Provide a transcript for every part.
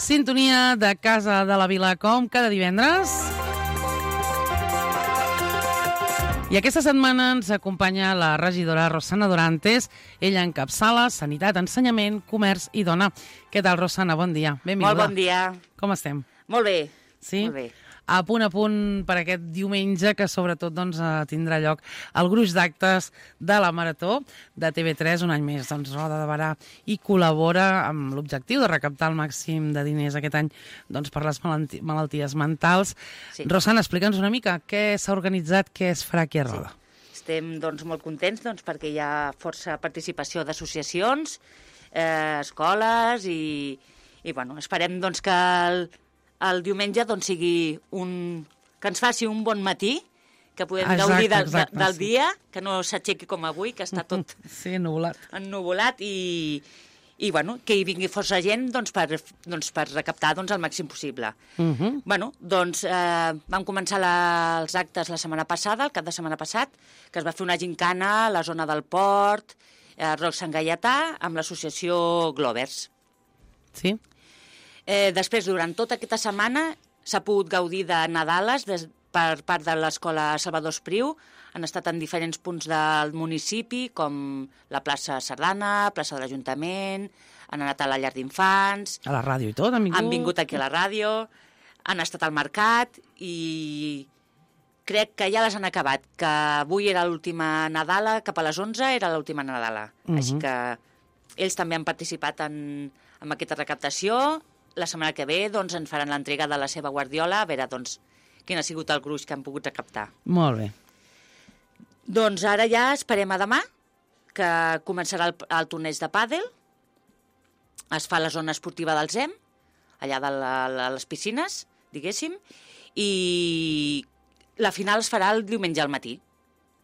Sintonia de Casa de la Vila com cada divendres. I aquesta setmana ens acompanya la regidora Rosana Dorantes. Ella encapçala Sanitat, Ensenyament, Comerç i Dona. Què tal, Rosana? Bon dia. Benvinguda. Molt bon dia. Com estem? Molt bé. Sí? Molt bé. A punt per aquest diumenge, que sobretot tindrà lloc el gruix d'actes de la Marató de TV3, un any més, Roda de Barà, i col·labora amb l'objectiu de recaptar el màxim de diners aquest any per les malalties mentals. Sí. Rosana, explica'ns una mica què s'ha organitzat, què es farà aquí a Roda. Sí. Estem molt contents perquè hi ha força participació d'associacions, escoles i esperem que el diumenge sigui que ens faci un bon matí, que podem gaudir del dia, que no s'aixequi com avui, que està tot ennuvolat i que hi vingui força gent per recaptar el màxim possible. Vam començar els actes la setmana passada, el cap de setmana passat, que es va fer una gincana a la zona del Port, a Roc Sant Gaietà, amb l'associació Glovers. Sí. Després, durant tota aquesta setmana, s'ha pogut gaudir de Nadales per part de l'Escola Salvador Espriu. Han estat en diferents punts del municipi, com la plaça Sardana, plaça de l'Ajuntament, han anat a la llar d'infants... A la ràdio i tot, han vingut? Han vingut aquí a la ràdio, han estat al mercat i crec que ja les han acabat, que avui era l'última Nadala, cap a les 11 era l'última Nadala. Així que ells també han participat en aquesta recaptació. La setmana que ve ens faran l'entrega de la seva guardiola, a veure quin ha sigut el gruix que han pogut recaptar. Molt bé. Ara ja esperem a demà, que començarà el torneig de pàdel. Es fa a la zona esportiva del ZEM, allà de les piscines, diguéssim, i la final es farà el diumenge al matí.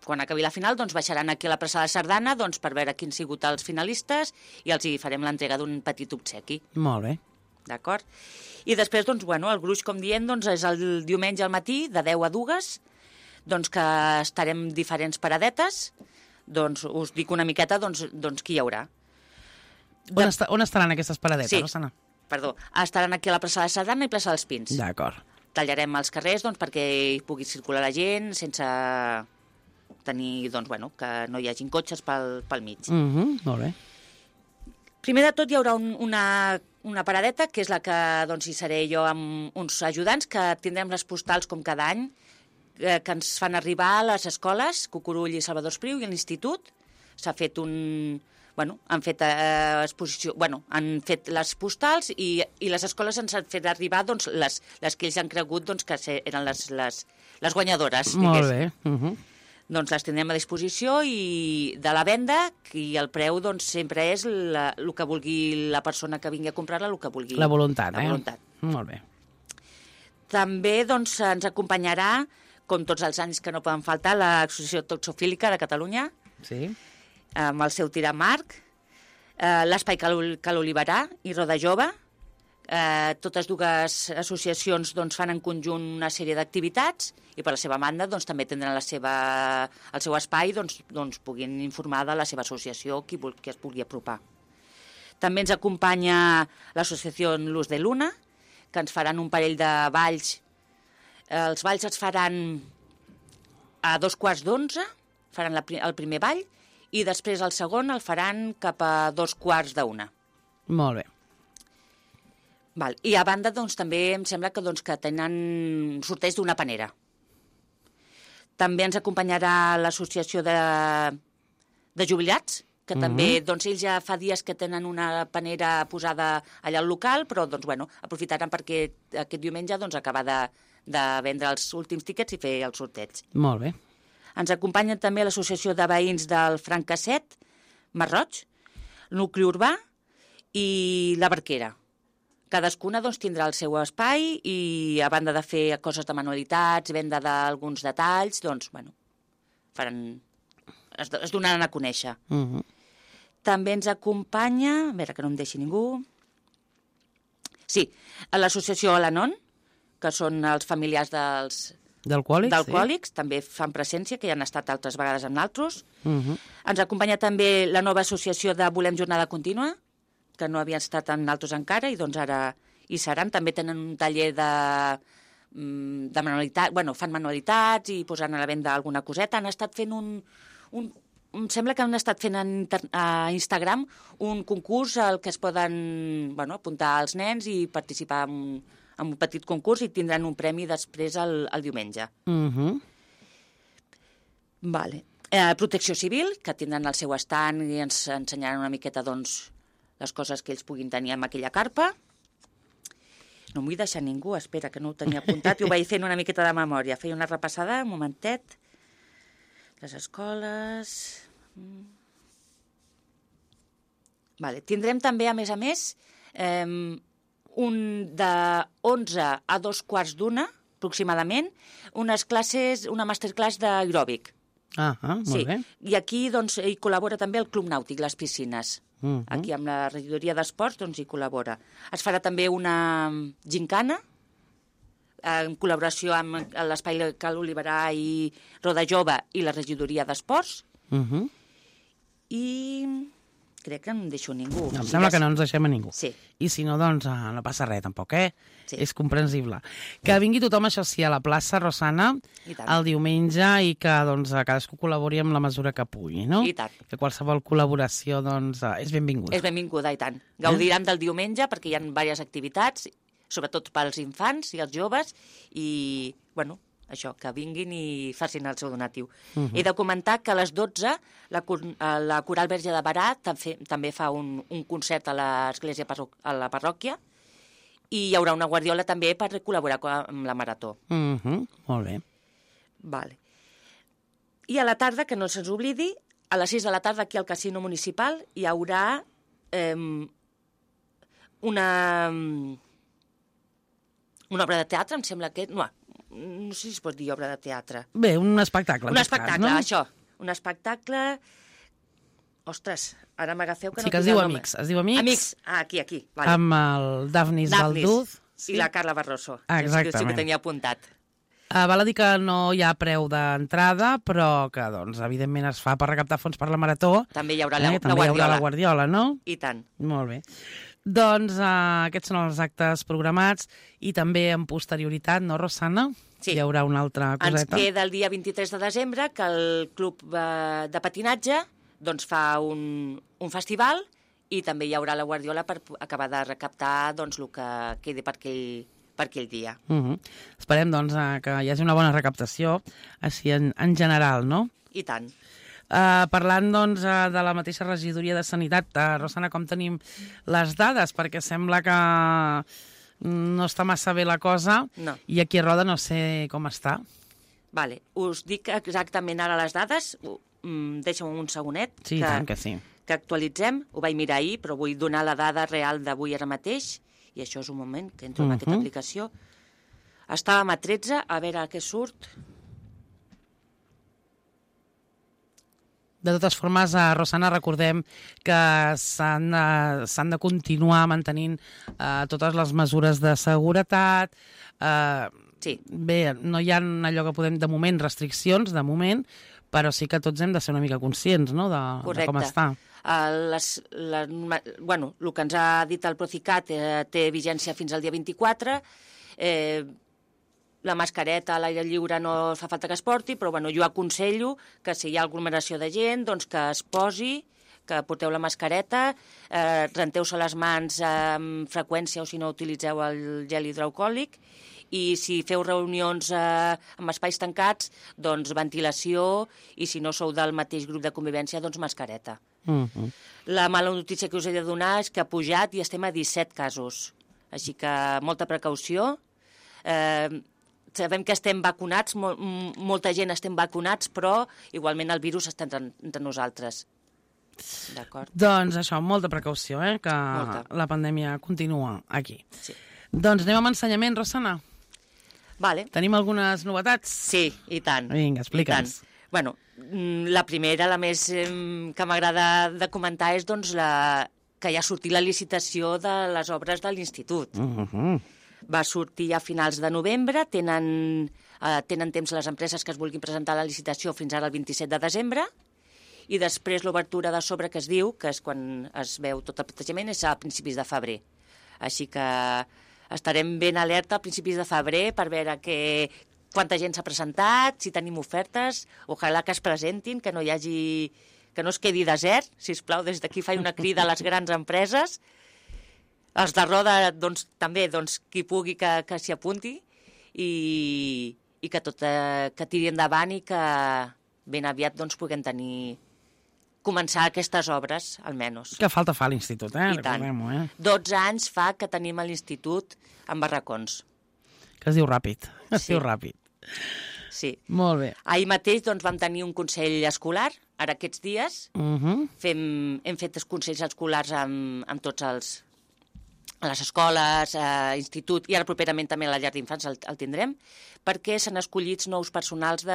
Quan acabi la final, baixaran aquí a la plaça de Sardana per veure quins han sigut els finalistes i els hi farem l'entrega d'un petit obsequi. Molt bé. D'acord? I després, el gruix, com diem, és el diumenge al matí, de 10 a 2, que estarem diferents paradetes. Us dic una miqueta, qui hi haurà. On estaran aquestes paradetes, sí, Rosana? Perdó, estaran aquí a la plaça de Sardana i plaça dels Pins. D'acord. Tallarem els carrers, perquè hi pugui circular la gent, sense tenir, que no hi hagin cotxes pel mig. Molt bé. Primer de tot hi haurà una paradeta, que és la que hi seré jo amb uns ajudants, que tindrem les postals com cada any, que ens fan arribar a les escoles, Cucurull i Salvador Espriu i a l'institut. S'ha fet han fet exposició, han fet les postals i les escoles ens han fet arribar les que ells han cregut que eren les guanyadores. Molt bé. Les tindrem a disposició i de la venda, i el preu sempre és el que vulgui la persona que vingui a comprar-la, el que vulgui. La voluntat, La voluntat. Molt bé. També ens acompanyarà, com tots els anys que no poden faltar, l'Associació Toxofílica de Catalunya, sí, amb el seu tiramarc, l'Espai Cal Oliverà i Roda Jove. Totes dues associacions fan en conjunt una sèrie d'activitats i per la seva banda també tindran el seu espai puguin informar de la seva associació qui es pugui apropar. També ens acompanya l'associació Luz de Luna, que ens faran un parell de balls. Els balls es faran a 2:15, faran el primer ball, i després el segon el faran cap a 2:15. Molt bé. I a banda també em sembla que tenen sorteig d'una panera. També ens acompanyarà l'associació de jubilats, que també ells ja fa dies que tenen una panera posada allà al local, però aprofitaran perquè aquest diumenge acabar de vendre els últims tíquets i fer el sorteig. Molt bé. Ens acompanyen també l'associació de veïns del Francasset, Marroig, Nucli Urbà i la Barquera. Cadascuna tindrà el seu espai i, a banda de fer coses de manualitats, venda d'alguns detalls, es donaran a conèixer. També ens acompanya, a veure que no em deixi ningú, sí, l'associació Alanon, que són els familiars d'alcohòlics, també fan presència, que ja han estat altres vegades amb nosaltres. Ens acompanya també la nova associació de Volem Jornada Contínua, que no havien estat en altres encara, i ara hi seran. També tenen un taller de manualitats, fan manualitats i posaran a la venda alguna coseta. Han estat fent em sembla que han estat fent a Instagram un concurs al que es poden apuntar els nens i participar en un petit concurs i tindran un premi després el diumenge. Vale. Protecció Civil, que tindran el seu estand i ens ensenyaran una miqueta les coses que ells puguin tenir en aquella carpa. No m'ho vull deixar ningú, espera, que no ho tenia apuntat i ho vaig fent una miqueta de memòria. Feia una repassada, un momentet. Les escoles... Vale. Tindrem també, a més, un de 11 a 2:15, aproximadament, una masterclass d'aeròbic. Molt bé. I aquí hi col·labora també el Club Nàutic, les piscines. Aquí amb la regidoria d'esports hi col·labora. Es farà també una gincana, en col·laboració amb l'Espai Cal Oliverà i Roda Jove i la regidoria d'esports. I crec que no em deixo ningú. Em sembla que no ens deixem a ningú. Sí. I si no, doncs no passa res, tampoc, Sí. És comprensible. Que vingui tothom, això sí, a la plaça Rosana el diumenge i que cadascú col·labori amb la mesura que pugui, no? I tant. Que qualsevol col·laboració, és benvinguda. És benvinguda, i tant. Gaudiran del diumenge perquè hi ha diverses activitats, sobretot pels infants i els joves, i, això, que vinguin i facin el seu donatiu. He de comentar que a les 12 la Coral Verge de Berà també fa un concert a l'església, a la parròquia, i hi haurà una guardiola també per col·laborar amb la Marató. Molt bé. Vale. I a la tarda, que no se'ns oblidi, a les 6 de la tarda aquí al Casino Municipal hi haurà una obra de teatre, em sembla que... No sé si es pot dir obra de teatre. Bé, un espectacle. Un espectacle, això. Un espectacle... Ostres, ara m'agafeu que no... Sí, que es diu Amics. Es diu Amics. Amics, aquí. Vale. Amb el Dafnis Valduz. I la Carla Barroso. Exactament. Sí que tenia apuntat. Val a dir que no hi ha preu d'entrada, però que, evidentment es fa per recaptar fons per la Marató. També hi haurà la També guardiola. hi haurà la guardiola, no? I tant. Molt bé. Doncs aquests són els actes programats i també en posterioritat, no, Rosana? Sí. Hi haurà una altra coseta. Ens queda el dia 23 de desembre que el club de patinatge fa un festival i també hi haurà la guardiola per acabar de recaptar el que quedi per aquell dia. Esperem que hi hagi una bona recaptació, així en general, no? I tant. Parlant de la mateixa regidoria de Sanitat, Rosana, com tenim les dades? Perquè sembla que no està massa bé la cosa, i aquí a Roda no sé com està. Vale, us dic exactament ara les dades, deixa'm un segonet. Sí, tant que sí. Que actualitzem, ho vaig mirar ahir, però vull donar la dada real d'avui ara mateix, i això és un moment que entro en aquesta aplicació. Estàvem a 13, a veure què surt. De totes formes, Rosana, recordem que s'han de continuar mantenint totes les mesures de seguretat. Sí. Bé, no hi ha allò que podem, de moment, restriccions, de moment, però sí que tots hem de ser una mica conscients, no?, de com està. El que ens ha dit el Procicat té vigència fins al dia 24. La mascareta a l'aire lliure no fa falta que es porti, però jo aconsello que si hi ha aglomeració de gent, doncs que es posi, que porteu la mascareta, renteu-se les mans amb freqüència o si no utilitzeu el gel hidroalcohòlic, i si feu reunions amb espais tancats, doncs ventilació, i si no sou del mateix grup de convivència, doncs mascareta. La mala notícia que us he de donar és que ha pujat i estem a 17 casos. Així que molta precaució. Sabem que estem vacunats, molta gent estem vacunats, però igualment el virus està entre nosaltres. D'acord? Doncs això, molta precaució, que la pandèmia continua aquí. Sí. Doncs anem amb ensenyament, Rosana. Vale. Tenim algunes novetats? Sí, i tant. Vinga, explica'ns. Bueno, la primera, la més que m'agrada de comentar és que ja ha sortit la licitació de les obres de l'institut. Va sortir a finals de novembre, tenen temps les empreses que es vulguin presentar a la licitació fins ara el 27 de desembre, i després l'obertura de sobre que es diu, que és quan es veu tot el plantejament, és a principis de febrer. Així que estarem ben alerta a principis de febrer per veure quanta gent s'ha presentat, si tenim ofertes, ojalà que es presentin, que no es quedi desert, sisplau, des d'aquí faig una crida a les grans empreses, els de Roda, doncs, també, doncs, qui pugui que s'hi apunti i que tiri endavant i que ben aviat doncs, puguem començar aquestes obres, almenys. Que falta fa a l'institut, I tant. 12 anys fa que tenim a l'institut en barracons. Que es diu ràpid. Es diu ràpid. Sí. Molt bé. Ahir mateix doncs, vam tenir un consell escolar, ara aquests dies. Hem fet els consells escolars amb tots a les escoles, institut, i ara properament també a la llar d'infants el tindrem, perquè s'han escollit nous personals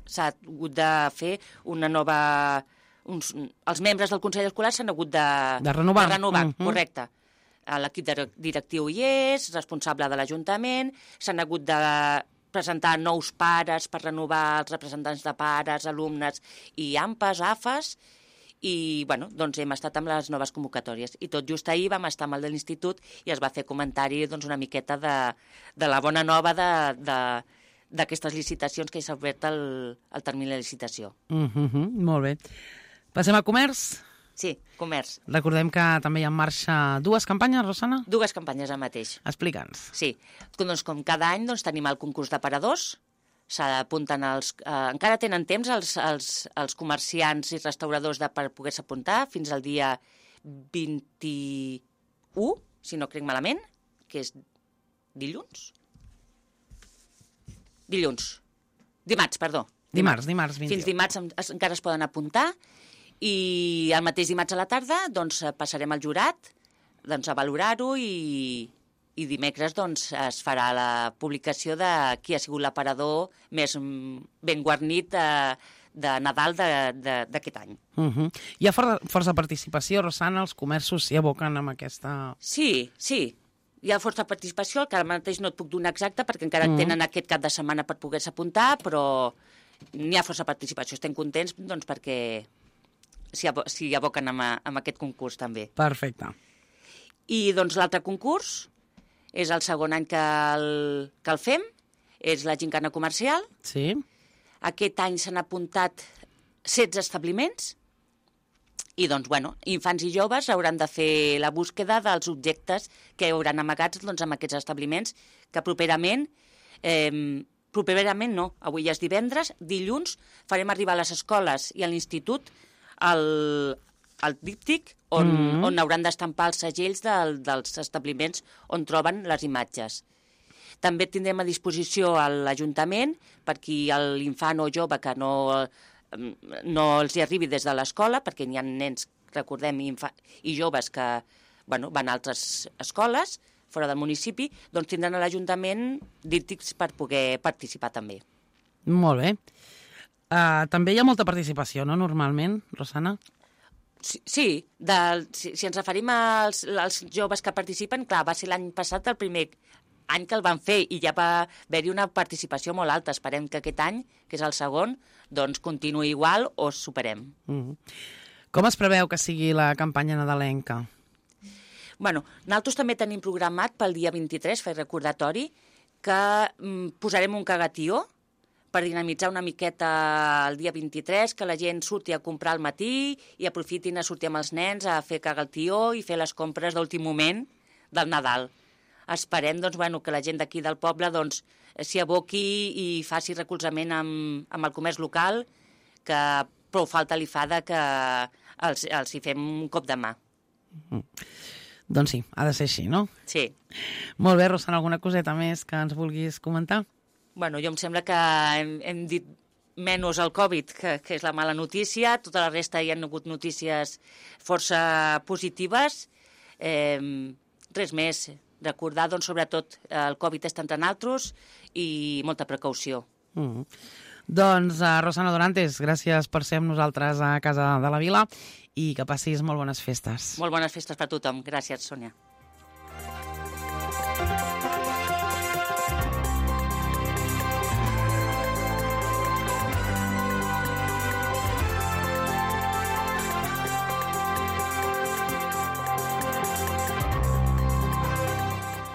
s'ha hagut de fer una nova... Els membres del Consell Escolar s'han hagut de renovar. Correcte. L'equip directiu hi és, responsable de l'Ajuntament, s'han hagut de presentar nous pares per renovar els representants de pares, alumnes i AMPAs, AFAs, i doncs hem estat amb les noves convocatòries. I tot just ahir vam estar amb el de l'institut i es va fer comentari una miqueta de la bona nova d'aquestes licitacions que s'ha obert el termini de licitació. Molt bé. Passem a comerç? Sí, comerç. Recordem que també hi ha en marxa 2 campanyes, Rosana? 2 campanyes ara mateix. Explica'ns. Sí, doncs com cada any tenim el concurs d'aparadors, s'apunten encara tenen temps els comerciants i restauradors per poder-se apuntar fins al dia 21, si no crec malament, que és dilluns? Dimarts, perdó. Dimarts 21. Fins dimarts encara es poden apuntar i el mateix dimarts a la tarda passarem al jurat a valorar-ho i dimecres es farà la publicació de qui ha sigut l'aparador més ben guarnit de Nadal d'aquest any. Hi ha força participació, Rosana, els comerços s'hi aboquen amb aquesta... Sí, hi ha força participació, el que ara mateix no et puc donar exacte perquè encara tenen aquest cap de setmana per poder-se apuntar, però n'hi ha força participació. Estem contents perquè s'hi aboquen amb aquest concurs també. Perfecte. I l'altre concurs és el segon any que el fem, és la gincana comercial. Sí. Aquest any s'han apuntat 16 establiments i, infants i joves hauran de fer la búsqueda dels objectes que hauran amagats en aquests establiments que properament no, avui ja és divendres, dilluns farem arribar a les escoles i a l'institut el díptic on hauran d'estampar els segells dels establiments on troben les imatges. També tindrem a disposició a l'Ajuntament per qui l'infant o jove que no els hi arribi des de l'escola, perquè n'hi ha nens, recordem, i joves que van a altres escoles fora del municipi, doncs tindran a l'Ajuntament díptics per poder participar també. Molt bé. També hi ha molta participació, no?, normalment, Rosana? Sí, si ens referim als joves que participen, clar, va ser l'any passat el primer any que el van fer i ja va haver-hi una participació molt alta. Esperem que aquest any, que és el segon, doncs continuï igual o superem. Com es preveu que sigui la campanya nadalenca? Nosaltres també tenim programat pel dia 23, fer recordatori, que posarem un cagatió per dinamitzar una miqueta el dia 23, que la gent surti a comprar al matí i aprofitin a sortir amb els nens a fer cagatió i fer les compres d'últim moment del Nadal. Esperem que la gent d'aquí del poble s'hi aboqui i faci recolzament amb el comerç local, que prou falta li fa que els hi fem un cop de mà. Doncs sí, ha de ser així, no? Sí. Molt bé, Rosana, alguna coseta més que ens vulguis comentar? Jo em sembla que hem dit menys el Covid, que és la mala notícia. Tota la resta hi ha hagut notícies força positives. Res més. Recordar, sobretot, el Covid està entre nosaltres i molta precaució. Doncs, Rosana Dorantes, gràcies per ser amb nosaltres a Casa de la Vila i que passis molt bones festes. Molt bones festes per tothom. Gràcies, Sònia.